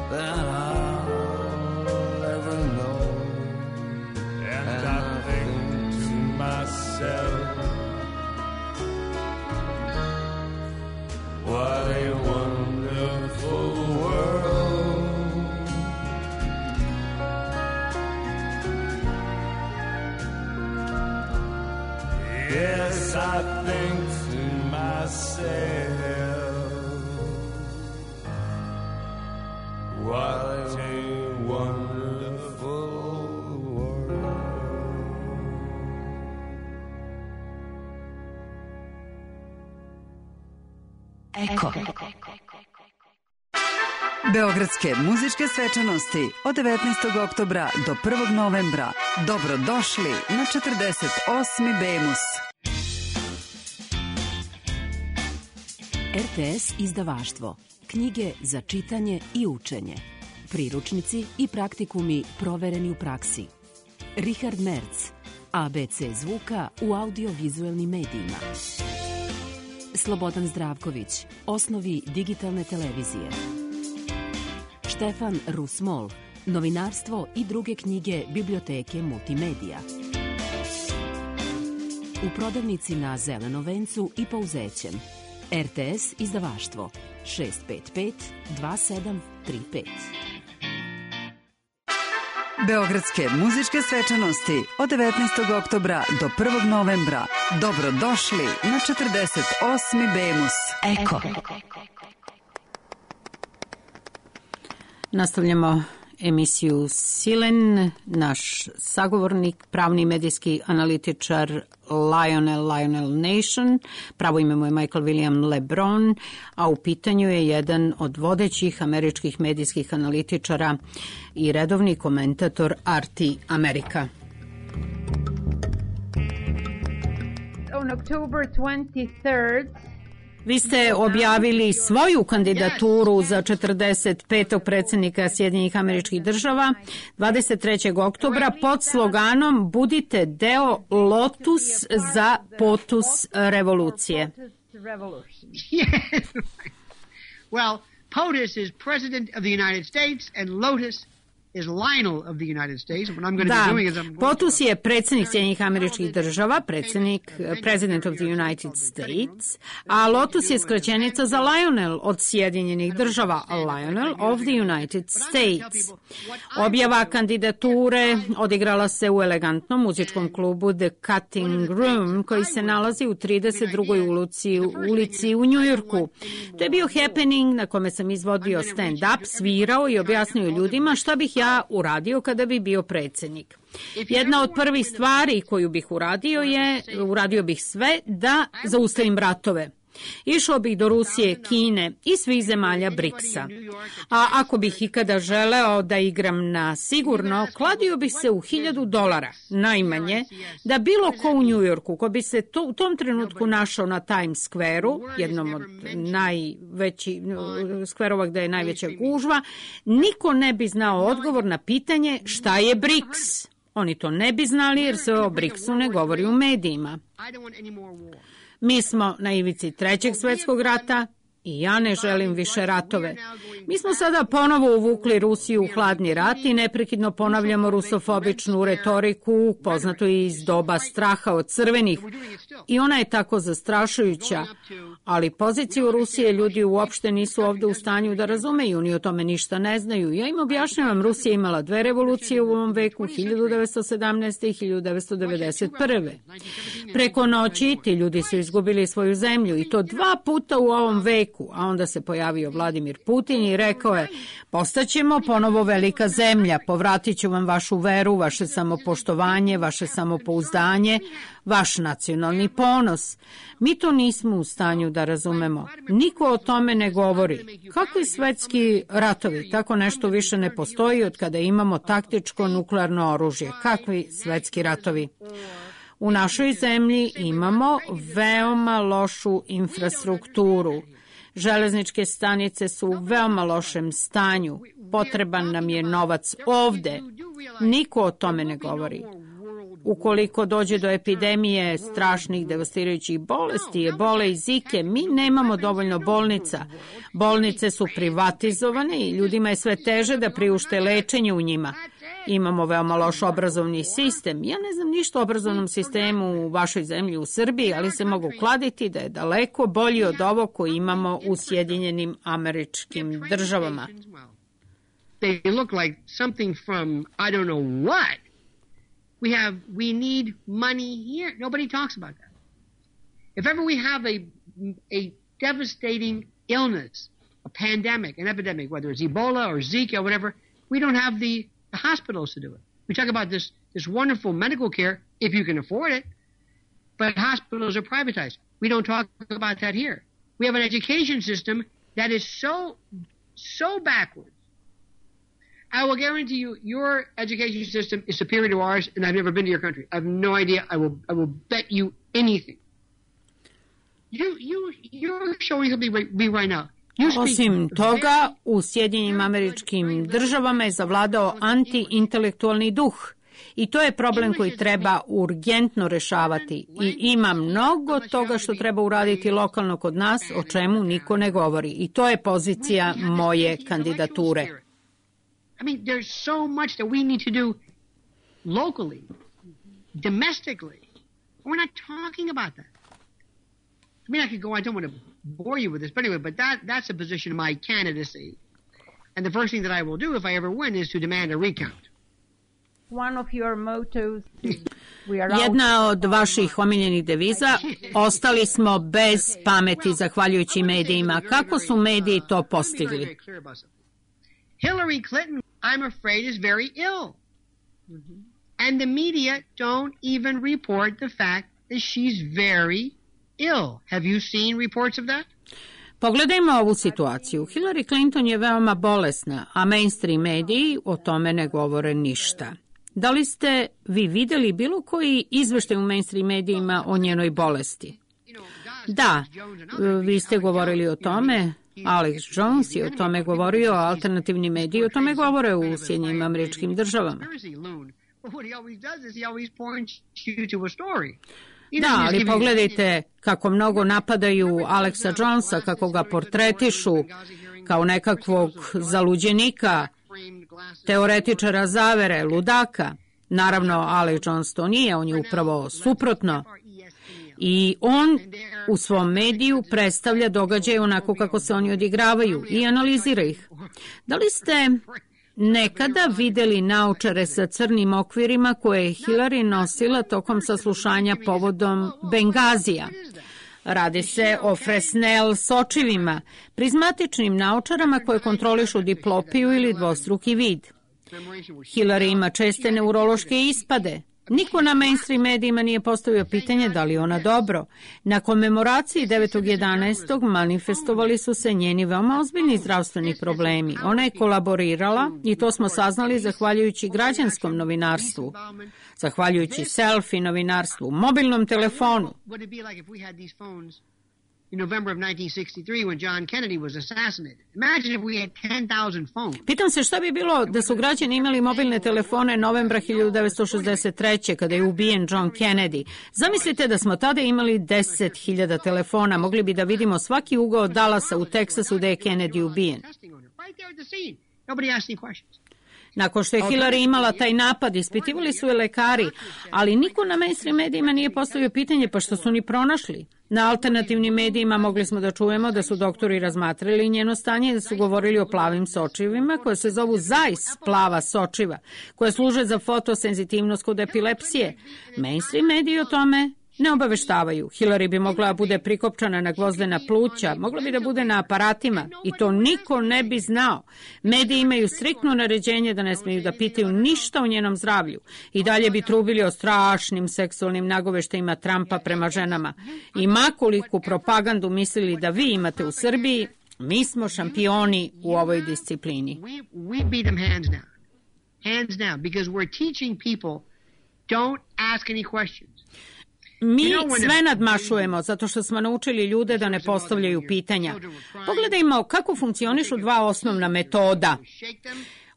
than I'll ever know. And, and I think to myself, what a wonderful world. Yes, I think to myself, what a wonderful world. Eko. Beogradske muzičke svečanosti od devetnaestog oktobra do prvog novembra. Dobrodošli na četrdeset osmi Bemus. R T S izdavaštvo. Knjige za čitanje i učenje. Priručnici i praktikumi provereni u praksi. Richard Merz. A B C zvuka u audiovizuelnim medijima. Slobodan Zdravković. Osnovi digitalne televizije. Štefan Rusmol. Novinarstvo i druge knjige biblioteke multimedija. U prodavnici na Zelenom vencu i Pouzećem. R T S izdavaštvo šest pet pet dva sedam tri pet. Beogradske muzičke svečanosti od devetnaestog oktobra do prvog novembra. Dobrodošli na četrdeset osmi Bemus. Eko. Nastavljamo emisiju Silen. Naš sagovornik, pravni medijski analitičar Lionel Lionel Nation, pravo ime mu je Michael William LeBron, a u pitanju je jedan od vodećih američkih medijskih analitičara i redovni komentator R T America. On October twenty-third, vi ste objavili svoju kandidaturu za četrdeset petog predsjednika Sjedinjenih Američkih Država dvadeset trećeg oktobra pod sloganom Budite deo Lotus za Potus revolucije. Well, POTUS is President of the United States and Lotus is Lionel of the United States. What I'm going to Da, be doing is I'm going POTUS to... je predsjednik Sjedinjenih Američkih Država, predsjednik, President of the United States, a LOTUS je skraćenica za Lionel od Sjedinjenih Država, Lionel of the United States. Objava kandidature odigrala se u elegantnom muzičkom klubu The Cutting Room, koji se nalazi u trideset drugoj ulici, ulici u Njujorku. To je bio happening na kome sam izvodio stand-up, svirao i objasnio ljudima šta bih ja uradio kada bi bio predsjednik. Jedna od prvih stvari koju bih uradio je, uradio bih sve da zaustavim ratove. Išao bih do Rusije, Kine i svih zemalja briksa. A ako bih ikada želeo da igram na sigurno, kladio bih se u hiljadu dolara, najmanje, da bilo ko u Njujorku, ko bi se to, u tom trenutku našao na Times Square-u, jednom od najvećih skverova gde je najveća gužva, niko ne bi znao odgovor na pitanje šta je briks. Oni to ne bi znali jer se o briksu ne govori u medijima. Mi smo na ivici trećeg svjetskog rata i ja ne želim više ratove. Mi smo sada ponovo uvukli Rusiju u hladni rat i neprekidno ponavljamo rusofobičnu retoriku, poznatu iz doba straha od crvenih. I ona je tako zastrašujuća, ali poziciju Rusije ljudi uopšte nisu ovde u stanju da razumeju, ni o tome ništa ne znaju. Ja im objašnjavam, Rusija imala dve revolucije u ovom veku, hiljadu devetsto sedamnaeste. i hiljadu devetsto devedeset prve. Preko noći ti ljudi su izgubili svoju zemlju i to dva puta u ovom veku, a onda se pojavio Vladimir Putin i rekao je, postaćemo ponovo velika zemlja, povratit ću vam vašu veru, vaše samopoštovanje, vaše samopouzdanje, vaš nacionalni ponos. Mi to nismo u stanju da razumemo. Niko o tome ne govori. Kakvi svetski ratovi? Tako nešto više ne postoji od kada imamo taktičko nuklearno oružje. Kakvi svetski ratovi? U našoj zemlji imamo veoma lošu infrastrukturu. Železničke stanice su u veoma lošem stanju. Potreban nam je novac ovde. Niko o tome ne govori. Ukoliko dođe do epidemije strašnih devastirajućih bolesti, ebole i zike, mi nemamo dovoljno bolnica. Bolnice su privatizovane i ljudima je sve teže da priušte lečenje u njima. Imamo veoma loš obrazovni sistem. Ja ne znam ništa o obrazovnom sistemu u vašoj zemlji u Srbiji, ali se mogu kladiti da je daleko bolji od ovog koji imamo u Sjedinjenim Američkim Državama. They look like something from I don't know what. We have, we need money here. Nobody talks about that. If ever we have a, a devastating illness, a pandemic, an epidemic, whether it's Ebola or Zika or whatever, we don't have the, the hospitals to do it. We talk about this, this wonderful medical care if you can afford it, but hospitals are privatized. We don't talk about that here. We have an education system that is so, so backwards. I will guarantee you, your education system is superior to ours, and I've never been to your country. I have no idea. I will, I will bet you anything. You, you, you're showing something me right now. Osim toga, u Sjedinjenim Američkim Državama je zavladao anti-intelektualni duh. I to je problem koji treba urgentno rešavati. I ima mnogo toga što treba uraditi lokalno kod nas, o čemu niko ne govori. I to je pozicija moje kandidature. I mean, there's so much that we need to do locally, domestically. We're not talking about that. I mean, I could go, I don't want to bore you with this, but anyway, but that, that's a position of my candidacy. And the first thing that I will do if I ever win is to demand a recount. One of your mottos is we are Jedna od vaših omiljenih deviza, ostali smo bez pameti zahvaljujući medijima. Kako su mediji to postigli? Hillary Clinton, I'm afraid, is very ill. Mm-hmm. And the media don't even report the fact that she's very ill. Have you seen reports of that? Pogledajmo ovu situaciju. Hillary Clinton je veoma bolesna, a mainstream mediji o tome ne govore ništa. Da li ste vi videli bilo koji izveštaj u mainstream medijima o njenoj bolesti? Da, vi ste govorili o tome. Alex Jones je o tome govorio, alternativni mediji o tome govore u Sjedinjenim Američkim Državama. Da, ali pogledajte kako mnogo napadaju Alexa Jonesa, kako ga portretišu kao nekakvog zaluđenika, teoretičara zavere, ludaka. Naravno, Alex Jones to nije, on je upravo suprotno. I on u svom mediju predstavlja događaje onako kako se oni odigravaju i analizira ih. Da li ste nekada videli naučare sa crnim okvirima koje je Hillary nosila tokom saslušanja povodom Bengazija? Radi se o Fresnel sočivima, prizmatičnim naučarama koje kontrolišu diplopiju ili dvostruki vid. Hillary ima česte neurološke ispade. Niko na mainstream medijima nije postavio pitanje da li ona dobro. Na komemoraciji devetog jedanaestog manifestovali su se njeni veoma ozbiljni zdravstveni problemi. Ona je kolaborirala i to smo saznali zahvaljujući građanskom novinarstvu, zahvaljujući selfie novinarstvu, mobilnom telefonu. In November of nineteen sixty-three when John Kennedy was assassinated. Imagine if we had ten thousand phones. Pitam se šta bi bilo da su građani imali mobilne telefone novembra hiljadu devetsto šezdeset treće kada je ubijen John Kennedy. Zamislite da smo tada imali deset hiljada telefona, mogli bi da vidimo svaki ugao Dallasa u Teksasu gde je Kennedy ubijen. Nobody asked any questions. Nakon što je Hillary imala taj napad, ispitivali su je lekari, ali niko na mainstream medijima nije postavio pitanje pa što su ni pronašli. Na alternativnim medijima mogli smo da čujemo da su doktori razmatrali njeno stanje i da su govorili o plavim sočivima koje se zovu Zeiss plava sočiva, koje služe za fotosenzitivnost kod epilepsije. Mainstream mediji o tome ne obaveštavaju. Hillary bi mogla da bude prikopčana na gvozdena pluća, mogla bi da bude na aparatima i to niko ne bi znao. Mediji imaju striktno naređenje da ne smiju da pitaju ništa o njenom zdravlju. I dalje bi trubili o strašnim seksualnim nagoveštajima Trumpa prema ženama. I makoliku propagandu mislili da vi imate u Srbiji, mi smo šampioni u ovoj disciplini. We, we beat them hands down. Hands down, because we're teaching people don't ask any questions. Mi sve nadmašujemo zato što smo naučili ljude da ne postavljaju pitanja. Pogledajmo kako funkcionišu dva osnovna metoda.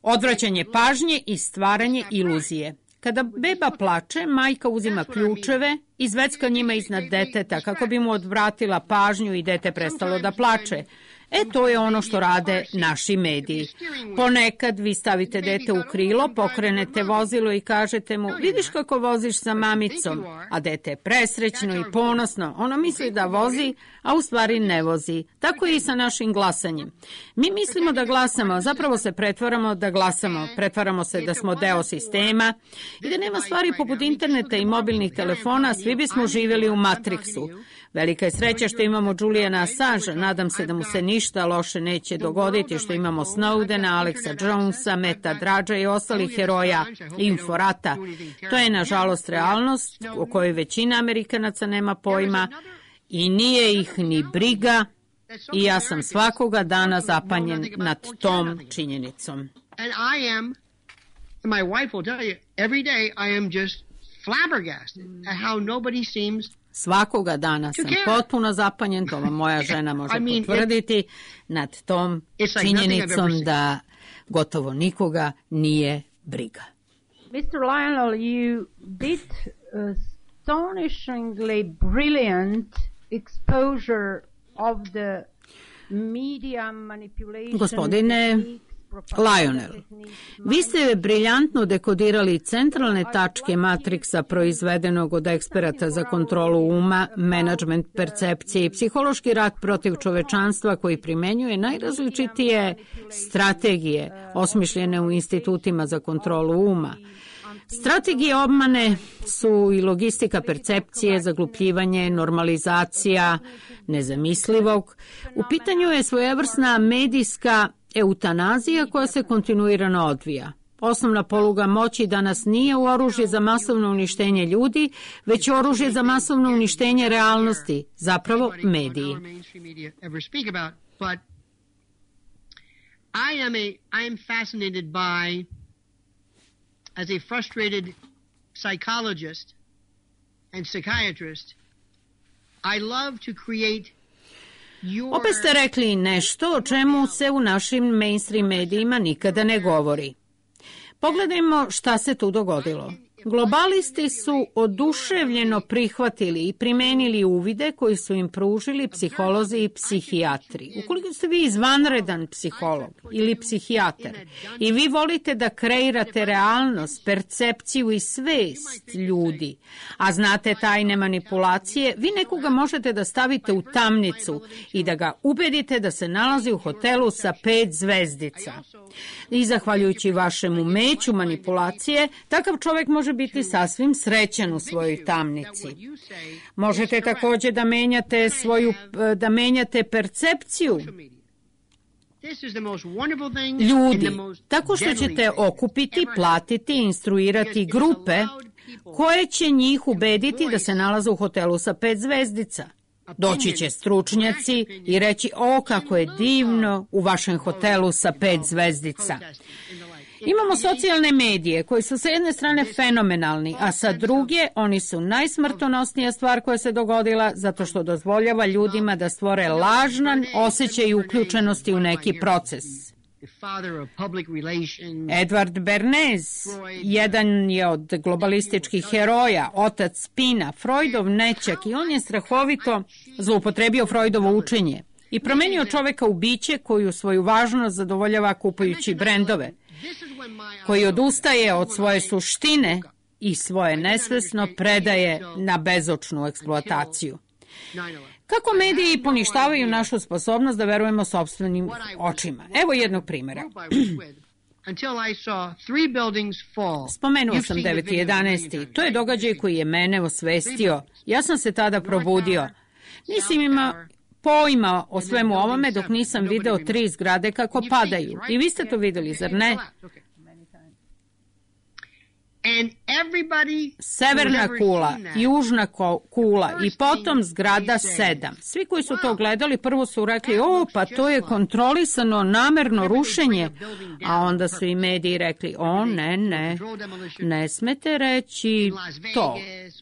Odvraćanje pažnje i stvaranje iluzije. Kada beba plače, majka uzima ključeve i zvecka njima iznad deteta kako bi mu odvratila pažnju i dete prestalo da plače. E, to je ono što rade naši mediji. Ponekad vi stavite dete u krilo, pokrenete vozilo i kažete mu, vidiš kako voziš sa mamicom, a dete je presrećno i ponosno. Ono misli da vozi, a u stvari ne vozi. Tako je i sa našim glasanjem. Mi mislimo da glasamo, zapravo se pretvaramo da glasamo. Pretvaramo se da smo deo sistema i da nema stvari poput interneta i mobilnih telefona, svi bismo živjeli u Matrixu. Velika je sreća što imamo Juliana Assange, nadam se da mu se ništa loše neće dogoditi, što imamo Snowdena, Alexa Jonesa, Meta Drađa i ostalih heroja inforata. To je, nažalost, realnost o kojoj većina Amerikanaca nema pojma i nije ih ni briga i ja sam svakoga dana zapanjen nad tom činjenicom. And I am, and my wife will tell you, every day I am just flabbergasted at how nobody seems. Svakoga dana sam potpuno zapanjen, to vam moja žena može potvrditi, nad tom činjenicom da gotovo nikoga nije briga. mister Lionel, you did astonishingly brilliant exposure of the media manipulation. Gospodine Lionel, vi ste briljantno dekodirali centralne tačke Matrixa proizvedenog od eksperata za kontrolu uma, menadžment percepcije i psihološki rat protiv čovečanstva koji primenjuje najrazličitije strategije osmišljene u institutima za kontrolu uma. Strategije obmane su i logistika percepcije, zaglupljivanje, normalizacija nezamislivog. U pitanju je svojevrsna medijska eutanazija koja se kontinuirano odvija. Osnovna poluga moći danas nije u oružje za masovno uništenje ljudi, već oružje za masovno uništenje realnosti, zapravo mediji. I am a I am fascinated by, as a frustrated psychologist and psychiatrist, I love to create. Opet ste rekli nešto o čemu se u našim mainstream medijima nikada ne govori. Pogledajmo šta se tu dogodilo. Globalisti su oduševljeno prihvatili i primenili uvide koji su im pružili psiholozi i psihijatri. Ukoliko ste vi izvanredan psiholog ili psihijatar i vi volite da kreirate realnost, percepciju i svest ljudi, a znate tajne manipulacije, vi nekoga možete da stavite u tamnicu i da ga ubedite da se nalazi u hotelu sa pet zvezdica. I zahvaljujući vašem umeću manipulacije, takav čovjek može biti sasvim srećan u svojoj tamnici. Možete također da menjate svoju, da menjate percepciju ljudi, tako što ćete okupiti, platiti, instruirati grupe koje će njih ubediti da se nalaze u hotelu sa pet zvezdica. Doći će stručnjaci i reći, o kako je divno u vašem hotelu sa pet zvezdica. Imamo socijalne medije koji su sa jedne strane fenomenalni, a sa druge oni su najsmrtonosnija stvar koja se dogodila zato što dozvoljava ljudima da stvore lažan osjećaj uključenosti u neki proces. Edward Bernays, jedan je od globalističkih heroja, otac spina, Freudov nećak, i on je strahovito zloupotrebio Freudovo učenje i promenio čoveka u biće koju svoju važnost zadovoljava kupujući brendove, koji odustaje od svoje suštine i svoje nesvesno predaje na bezočnu eksploataciju. Kako mediji poništavaju našu sposobnost da verujemo sopstvenim očima? Evo jednog primjera. Spomenuo sam deveti jedanaesti To je događaj koji je mene osvestio. Ja sam se tada probudio. Nisam imao pojma o svemu ovome dok nisam video tri zgrade kako padaju. I vi ste to vidjeli, zar ne? Severna kula, južna kula i potom zgrada sedam. Svi koji su to gledali prvo su rekli, o, pa to je kontrolisano namerno rušenje. A onda su i mediji rekli, o, ne, ne, ne smete reći to.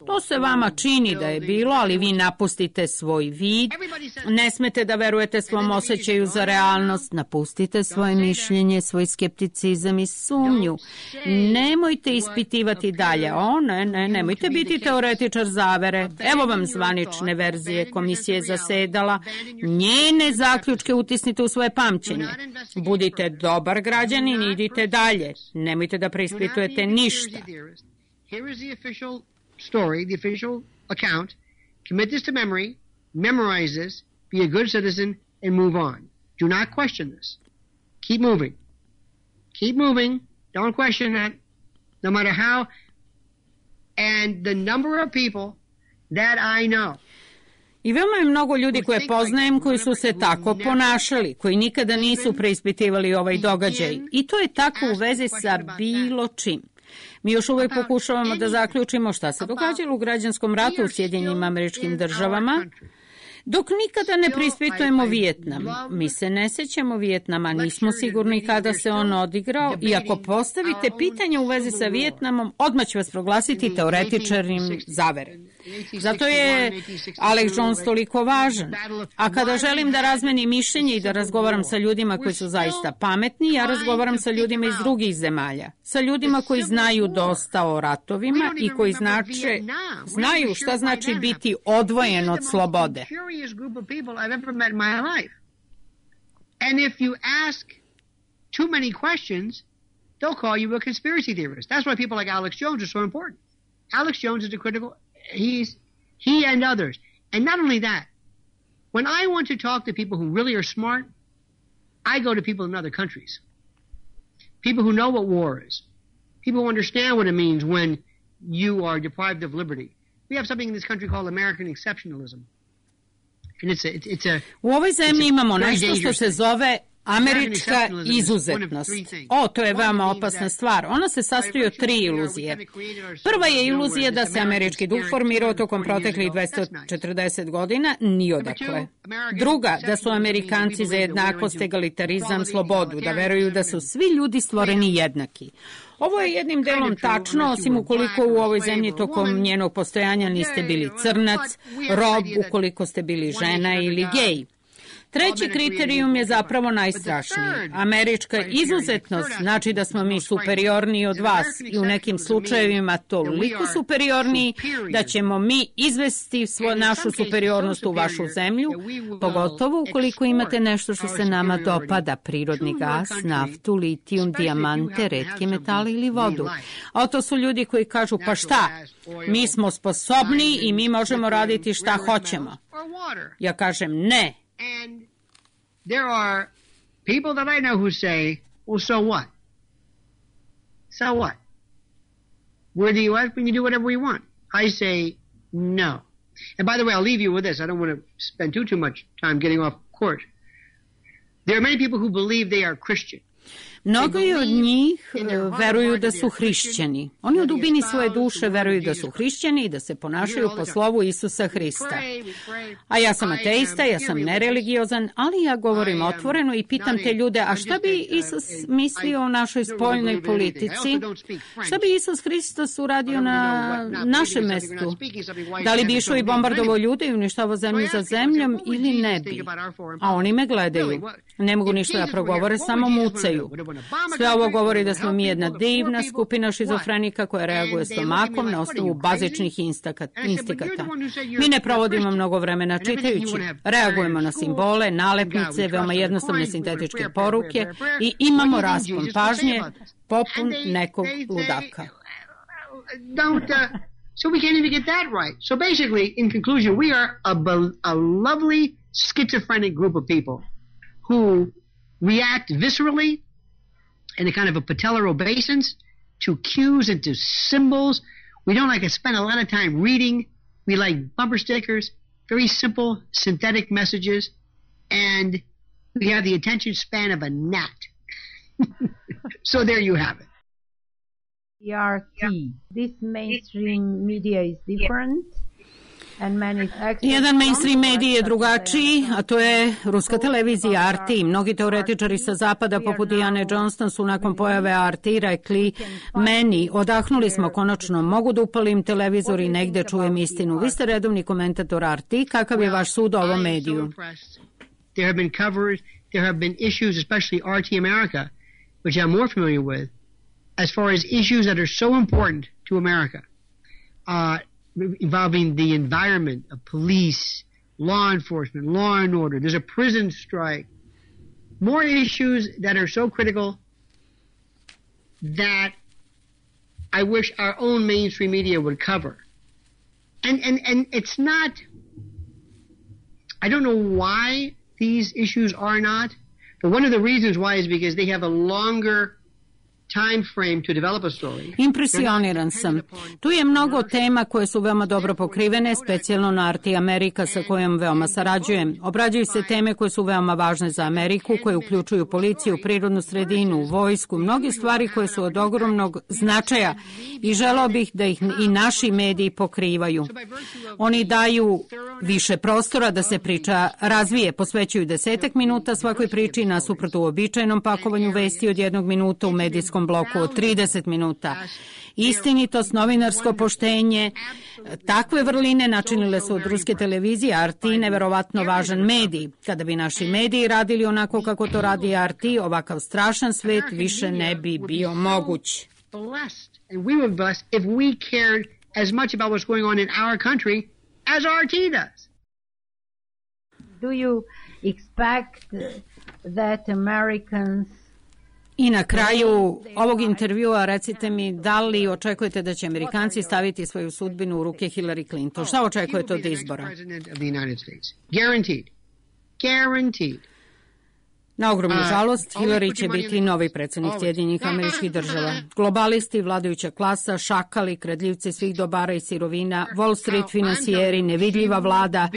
To se vama čini da je bilo, ali vi napustite svoj vid. Ne smete da verujete svom osjećaju za realnost. Napustite svoje mišljenje, svoj skepticizam i sumnju. Nemojte ispitivati dalje. O, ne, ne, nemojte biti teoretičar zavere. Evo vam zvanične verzije komisije zasedala. Njene zaključke utisnite u svoje pamćenje. Budite dobar građanin i idite dalje. Nemojte da preispitujete ništa. Here is the official story, the official account. Commit this to memory, memorize this, be a good citizen, and move on. Do not question this. Keep moving. Keep moving. Don't question that. No matter how. And the number of people that I know. I veoma je mnogo ljudi koje poznajem koji su se tako ponašali, koji nikada nisu preispitivali ovaj događaj. I to je tako u vezi sa bilo čim. Mi još uvijek pokušavamo da zaključimo šta se događalo u građanskom ratu u Sjedinjenim Američkim Državama, dok nikada ne preispitujemo Vijetnam. Mi se ne sećamo Vijetnama, nismo sigurni kada se on odigrao i ako postavite pitanje u vezi sa Vijetnamom, odmah ću vas proglasiti teoretičarim zavere. Zato je Alex Jones toliko važan. A kada želim da razmenim mišljenje i da razgovaram sa ljudima koji su zaista pametni, ja razgovaram sa ljudima iz drugih zemalja. Sa ljudima koji znaju dosta o ratovima i koji znače, znaju šta znači biti odvojen od slobode. And if you ask too many questions, they'll call you a conspiracy theorist. That's why people like Alex Jones are so important. Alex Jones is a critical, he's, he and others. And not only that, when I want to talk to people who really are smart, I go to people in other countries. People who know what war is. People who understand what it means when you are deprived of liberty. We have something in this country called American exceptionalism. And it's a, it's a, U ovoj zemlji imamo nešto što se zove američka izuzetnost. O, to je veoma opasna stvar. Ona se sastoji od tri iluzije. Prva je iluzija da se američki duh formirao tokom proteklih dvesta četrdeset godina, ni odakle. Druga, da su Amerikanci za jednakost, egalitarizam, slobodu, da veruju da su svi ljudi stvoreni jednaki. Ovo je jednim delom tačno, osim ukoliko u ovoj zemlji tokom njenog postojanja niste bili crnac, rob, ukoliko ste bili žena ili gej. Treći kriterijum je zapravo najstrašniji. Američka izuzetnost znači da smo mi superiorniji od vas i u nekim slučajevima toliko superiorniji da ćemo mi izvesti svo, našu superiornost u vašu zemlju, pogotovo ukoliko imate nešto što se nama dopada, prirodni gas, naftu, litijum, dijamante, retke metale ili vodu. A to su ljudi koji kažu, pa šta, mi smo sposobni i mi možemo raditi šta hoćemo. Ja kažem ne. And there are people that I know who say, well, so what? So what? We're the U S, we can do whatever we want. I say, no. And by the way, I'll leave you with this. I don't want to spend too, too much time getting off course. There are many people who believe they are Christian. Mnogi od njih veruju da su hrišćani. Oni u dubini svoje duše veruju da su hrišćani i da se ponašaju po slovu Isusa Hrista. A ja sam ateista, ja sam nereligiozan, ali ja govorim otvoreno i pitam te ljude, a šta bi Isus mislio o našoj spoljnoj politici? Šta bi Isus Hristos uradio na našem mestu? Da li bi išao i bombardovao ljude i uništavao zemlju za zemljom ili ne bi? A oni me gledaju. Ne mogu ništa da progovore, samo mucaju. Sve ovo govori da smo mi jedna divna skupina šizofrenika koja reaguje stomakom na osnovu bazičnih instikata. Mi ne provodimo mnogo vremena čitajući. Reagujemo na simbole, nalepnice, veoma jednostavne sintetičke poruke i imamo raspon pažnje popun nekog ludaka. So we can't even get that right. So basically, in conclusion, we are a, a lovely schizophrenic group of people who react viscerally in a kind of a patellar obeisance to cues and to symbols. We don't like to spend a lot of time reading. We like bumper stickers, very simple synthetic messages, and we have the attention span of a gnat. So there you have it. E R T. This mainstream media is different. Jedan mainstream medij je drugačiji, a to je ruska televizija R T. Mnogi teoretičari sa zapada, poput Diane Johnston, su nakon pojave R T rekli meni, odahnuli smo konačno, mogu da upalim televizor i negde čujem istinu. Vi ste redovni komentator R T, kakav je vaš sud o ovom mediju? There have been covered, there have been issues, especially R T America, which I'm more familiar with, as far as issues that are so important to America. Uh, involving the environment, of police, law enforcement, law and order. There's a prison strike. More issues that are so critical that I wish our own mainstream media would cover. And, and, and it's not, I don't know why these issues are not, but one of the reasons why is because they have a longer time frame to develop a story. Impresioniran sam. Tu je mnogo tema koje su veoma dobro pokrivene, specijalno na R T Amerika sa kojom veoma sarađujem. Obrađuju se teme koje su veoma važne za Ameriku, koje uključuju policiju, prirodnu sredinu, vojsku, mnoge stvari koje su od ogromnog značaja i želeo bih da ih i naši mediji pokrivaju. Oni daju više prostora da se priča razvije, posvećuju desetak minuta svakoj priči nasuprot uobičajenom pakovanju vesti od jednog minuta u medijskom bloku od trideset minuta. Istinitost, novinarsko poštenje, takve vrline načinile su od ruske televizije R T neverovatno važan medij. Kada bi naši mediji radili onako kako to radi R T, ovakav strašan svet više ne bi bio moguć. And we would bless if we cared as much about what's going on in our country as R T does. Do you expect that Americans I na kraju ovog intervjua recite mi da li očekujete da će Amerikanci staviti svoju sudbinu u ruke Hillary Clinton? Šta očekujete od izbora? Guaranteed. Guaranteed. Na ogromnu žalost, Hillary će biti novi predsjednik Sjedinjenih Američkih Država. Globalisti, vladajuća klasa, šakali, kradljivci svih dobara i sirovina, Wall Street finansijeri, nevidljiva vlada,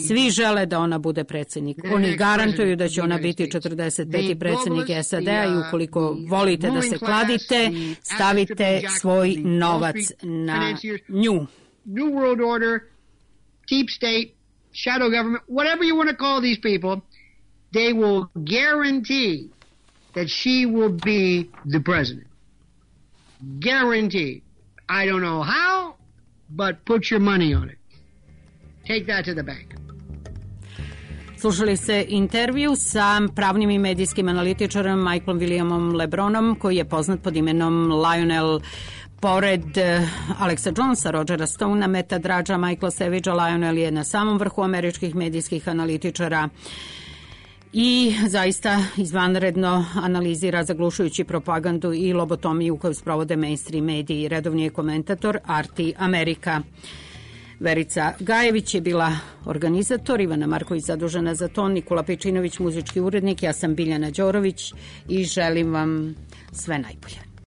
svi žele da ona bude predsjednik. Oni garantuju da će ona biti četrdeset peti predsjednik S A D-a i ukoliko volite da se kladite, stavite svoj novac na nju. New World Order, Deep State, Shadow Government, whatever you want to call these people, they will guarantee that she will be the president. Guaranteed. I don't know how, but put your money on it. Take that to the bank. Slušali ste intervju sa pravnim i medijskim analitičarem Michaelom Williamom LeBronom, koji je poznat pod imenom Lionel. Pored Alexa Jonesa, Rogera Stonea, Meta Drađa, Michaela Savagea, Lionel je na samom vrhu američkih medijskih analitičara i zaista izvanredno analizira zaglušujući propagandu i lobotomiju koju sprovode mainstream mediji. Redovni je komentator Arti Amerika. Verica Gajević je bila organizator, Ivana Marković zadužena za to, Nikola Pečinović muzički urednik, ja sam Biljana Đorović i želim vam sve najbolje.